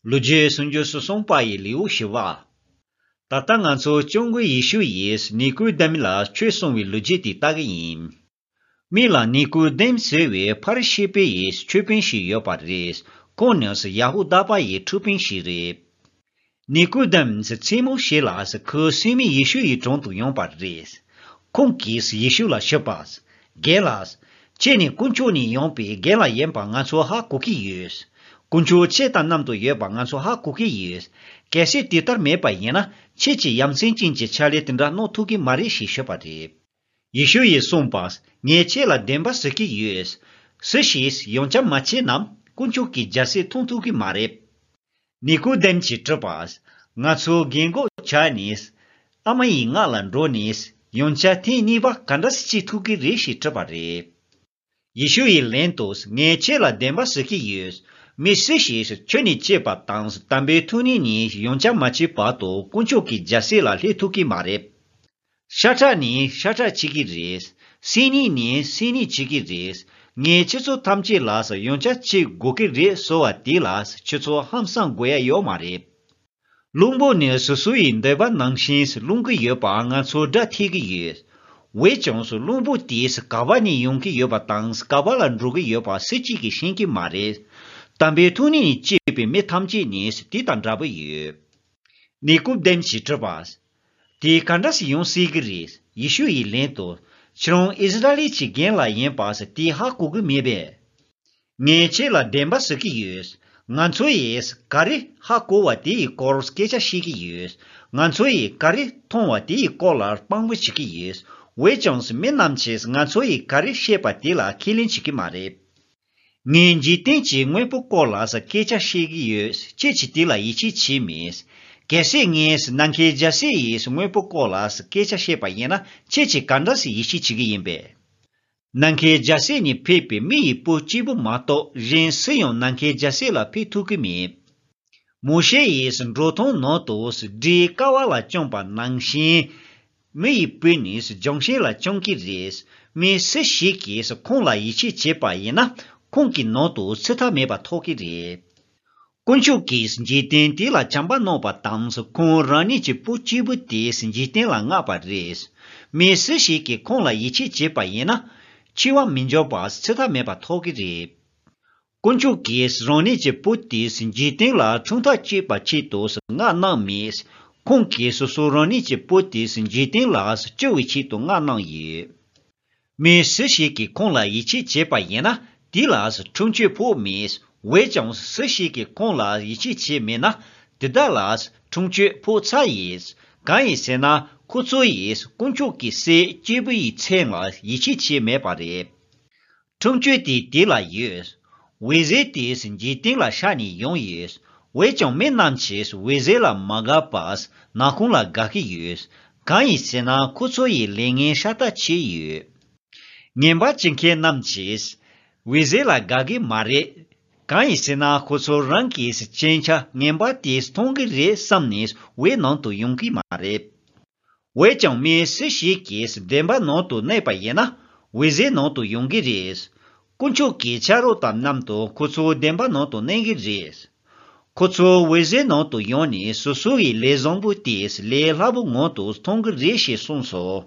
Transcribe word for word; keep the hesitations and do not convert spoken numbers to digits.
ལོ་རྒྱུས་སུམ་ཅུ་སོ་གསུམ་པ་ཡི་ལེའུ་བཞི་པ། ད་ལྟ་ང་ཚོ་སྐྱབས་མགོན་ཡེ་ཤུ་ཡིས་ནི་ཀོ་དེམ་ལ་ཆོས་གསུང་བའི་ལོ་རྒྱུས་དེ་ལྟ་གི་ཡིན། མི་ལ་ནི་ཀོ་དེམ་ཟེར་བའི་ཕ་རི་ཤི་པའི་ཡི་ཆོས་དཔོན་ཞིག་ཡོད་པ་རེད། ཁོང་ནི་ཡ་ཧུ་དཱ་པ་ཡི་ཁྲི་དཔོན་ཞིག་རེད། ནི་ཀོ་དེམ་མཚན་མོ་ཞིག་ལ་ཁོའི་སྲིང་མོ་ཡེ་ཤུ་ཡི་དྲུང་དུ་ཡོང་པ་རེད། ཁོང་གིས་ཡེ་ཤུ་ལ་ཞུས་པ། རྒན་ལགས། ཁྱེད་ནི་དཀོན་མཆོག་ནས་ཡོང་པའི་རྒན་ལགས་ཡིན་པ་ང་ཚོ་ཧ་གོ་གི་ཡོད། དཀོན་མཆོག་ཁྱེད་དང་མཉམ་དུ་ཡོད་པ་ང་ཚོ་ཧ་གོ་གི་ཡོད། གལ་སྲིད་དེ་ལྟར་མེད་པ་ཡིན་ན་ཁྱེད་ཀྱིས་ཡ་མཚན་ཅན་གྱི་ཕྱག་ལས་དེ་འདྲ་གནང་ཐུབ་ཀྱི་མ་རེད་ཞེས་ཞུས་པ་རེད། ཡེ་ཤུ་ཡིས་གསུངས་པ། ངས་ཁྱེད་ལ་བདེན་པ་ཟེར་གྱི་ཡོད། སུ་ཞིག་ཡོངས་ཁྱབ་མ་བྱས་ན་དཀོན་མཆོག་གི་རྒྱལ་སྲིད་མཐོང་ཐུབ་ཀྱི་མ་རེད། ནི་ཀོ་དེམ་གྱིས་དྲིས་པ། ང་ཚོ་རྒན་གོག་ཆགས་ནས་ཨ་མ་ཡི་མངགས་ལ་འགྲོ་ནས་ཡོངས་ཁྱབ་ཐེངས་གཉིས་པ་ག་འདྲ་སེ་བྱེད་ཐུབ་ཀྱི་རེད་ཞེས་དྲིས་པ་རེད། ཡེ་ཤུ་ཡིས་ལན་དུ་ངས་ཁྱེད་ལ་བདེན་པ་ཟེར་གྱི་ཡོད། མི་སུ་ཞིག་ཆོས་ནས་སྐྱེས་པ་དང་དམ་པའི་ཐུགས་ཉིད་ནས་ཡོངས་ཁྱབ་མ་བྱས་བར་དུ་དཀོན་མཆོག་གི་རྒྱལ་སྲིད་ལ་སླེབས་ཐུབ་ཀྱི་མ་རེད། ཤ་ཁྲག་ནི་ཤ་ཁྲག་བྱེད་ཀྱི་རེད། སེམས་ཉིད་ནི་སེམས་ཉིད་བྱེད་ཀྱི་རེད། ངས་ཁྱེད་ཚོ་ཐམས་ཅད་ལ་ཡོངས་ཁྱབ་བྱེད་དགོས་ཀྱི་རེད་ཟེར་བ་དེ་ལ་ཁྱེད་ཚོ་ཧང་སང་དགོས་ཡ་ཡོད་མ་རེད། བླུན་པོ་ནི་སོ་སོ་ཡི་འདོད་པ་ནང་བཞིན་སློང་གི་ཡོད་པ་ང་ཚོ་སྒྲ་ཐོས་ཀྱི་ཡོད། འོན་ཀྱང་བླུན་པོ་དེས་ག་པ་ནས་ཡོང་གི་ཡོད་པ་དང་ག་པ་ལ་འགྲོ་གི་ཡོད་པ་སུ་གཅིག་གིས་ཤེས་ཀྱི་མ་རེད། དམ་པའི་ཐུགས་ཉིད་ནས་སྐྱེས་པའི་མི་ཐམས་ཅད་ནི་དེ་དང་འདྲ་པོ་ཡོད། ནི་ཀོ་དེམ་གྱིས་དྲིས་པ། དེ་ག་འདྲ་སེ་ཡོང་སྲིད་ཀྱི་རེད། ཡེ་ཤུ་ཡིས་ལན་དུ། ཁྱེད་རང་ཨིསི་ར་ཨེལ་གྱི་རྒན་ལགས་ཡིན་པ་དེ་ཧ་གོ་གི་མེད་པས། ངས་ཁྱེད་ལ་བདེན་པ་ཟེར་གྱི་ཡོད། ང་ཚོ་ཡིས་ག་རེ་ཧ་གོ་བ་དེ་ཡི་སྐོར་སྐད་ཆ་བཤད་ཀྱི་ཡོད། ང་ཚོ་ཡིས་ག་རེ་མཐོང་བ་དེ་ཡི་སྐོར་ལ་དཔང་པོ་བྱེད་ཀྱི་ཡོད། འོན་ཀྱང་མི་རྣམས་ཀྱིས་ང་ཚོ་ཡིས་ག་རེ་བཤད་པ་དེ་ལ་ཁས་ལེན་བྱེད་ཀྱི་མ་རེད། ངས་འཇིག་རྟེན་གྱི་དངོས་པོ་སྐོར་ལ་སྐད་ཆ་བཤད་ཀྱི་ཡོད། ཁྱེད་ཀྱིས་དེ་ལ་ཡིད་ཆེས་བྱས་མེད། གལ་སྲིད་ངས་ནམ་མཁའི་རྒྱལ་སྲིད་ཡི་དངོས་པོ་སྐོར་ལ་སྐད་ཆ་བཤད་པ་ཡིན་ན་ཁྱེད་ཀྱིས་ག་འདྲ་སེ་ཡིད་ཆེས་བྱེད་ཀྱི་ཡིན་པས། ནམ་མཁའི་རྒྱལ་སྲིད་ནས་ཕེབས་པའི་མི་ཡི་བུ་གཅིག་པུ་མ་གཏོགས་གཞན་སུ་ཡང་ནམ་མཁའི་རྒྱལ་སྲིད་ལ་ཕེབས་ཐུབ་ཀྱི་མེད། མོ་ཤེ་ཡིས་འབྲོག་ཐང་ནང་དུ་སྦྲུལ་ཀ་བ་ལ་བཅོམ་པ་ནང་བཞིན། མི་ཡི་བུ་ནི་ལྗོན་ཤིང་ལ་བཅོམ་གྱི་རེད། མི་སུ་ཞིག་གིས་ཁོང་ལ་ཡིད་ཆེས་བྱས་པ་ཡིན་ན་ཁོང་གི་ནང་དུ་ཚེ་ཐར་མེད་པ་ཐོབ་ཀྱི་རེད། དཀོན་མཆོག་གིས་འཇིག་རྟེན་དེ་ལ་བྱམས་པ་གནང་བ་དང་ཁོང་རང་ཉིད་ཀྱི་བུ་གཅིག་པུ་དེ་འཇིག་རྟེན་ལ་མངགས་པ་རེད། མི་སུ་ཞིག་གིས་ཁོང་ལ་ཡིད་ཆེས་བྱས་པ་ཡིན་ན། འཆི་བ་མི་འབྱུང་བར་ཚེ་ཐར་མེད་པ་ཐོབ་ཀྱི་རེད། དཀོན་མཆོག་གིས་རང་ཉིད་ཀྱི་བུ་དེ་འཇིག་རྟེན་ལ་འཁྲུངས་ཐག་བཅད་པའི་ཆེད་དུ་མངགས་གནང་མེད། ཁོང་གིས་སོ་སོ་རང་ཉིད་ཀྱི་བུ་དེ་འཇིག་རྟེན་ལ་སྐྱོབ་པའི་ཆེད་དུ་མངགས་གནང་ཡོད། མི་སུ་ཞིག་གིས་ཁོང་ལ་ཡིད་ཆེས་བྱས་པ་ཡིན་ན་དེ་ལ་འཁྲུངས་སྐྱོབ་ཕོག་མེད། འོན་ཀྱང་སུ་ཞིག་གིས་ཁོང་ལ་ཡིད་ཆེས་བྱས་མེད་ན་དེ་དག་ལ་འཁྲུངས་སྐྱོབ་ཕོག་ཚར་ཡོད། གང་ཡིན་ཟེར་ན་ཁོ་ཚོ་ཡིས་དཀོན་མཆོག་གི་སྲས་སྐྱེས་བུ་ཡི་མཚན་ལ་ཡིད་ཆེས་བྱས་མེད་པ་རེད། འཁྲུངས་སྐྱོབ་དེ་དེ་ལ་ཡོད། འོད་ཟེར་དེ་འཇིག་རྟེན་ལ་ཤར་ནས་ཡོང་ཡོད། འོན་ཀྱང་མི་རྣམས་ཀྱིས་འོད་ཟེར་ལ་མ་དགའ་བར་ནག་ཁུང་ལ་དགའ་གི་ཡོད། གང་ཡིན་ཟེར་ན་ཁོ་ཚོ་ཡི་ལས་ངན་ཤ་སྟག་ཆེ་ཡོད། ངན་པ་བྱེད་མཁན་རྣམས་ཀྱིས་འོད་ཟེར་ལ་དགའ་གི་མ་རེད། གང་ཡིན་ཟེར་ན་ཁོ་ཚོ་རང་གི་སྤྱན་ཆ་ངན་པ་དེ་མཐོང་གི་རེད་བསམ་ནས་འོད་ནང་དུ་ཡོང་གི་མ་རེད། འོན་ཀྱང་མི་སུ་ཞིག་གིས་བདེན་པ་ནང་དུ་གནས་པ་ཡིན་ན་འོད་ཟེར་ནང་དུ་ཡོང་གི་རེད། དཀོན་མཆོག་གི་ཆ་རོགས་དང་མཉམ་དུ་ཁོ་ཚོ་བདེན་པ་ནང་དུ་གནས་ཀྱི་རེད། ཁོ་ཚོ་འོད་ཟེར་ནང་དུ་ཡོང་ནས་སོ་སོ་ཡི་ལས་བཟང་པོ་དེ་ལས་སླ་པོ་ངང་དུ་མཐོང་གི་རེད་ཞེས་གསུངས་སོ།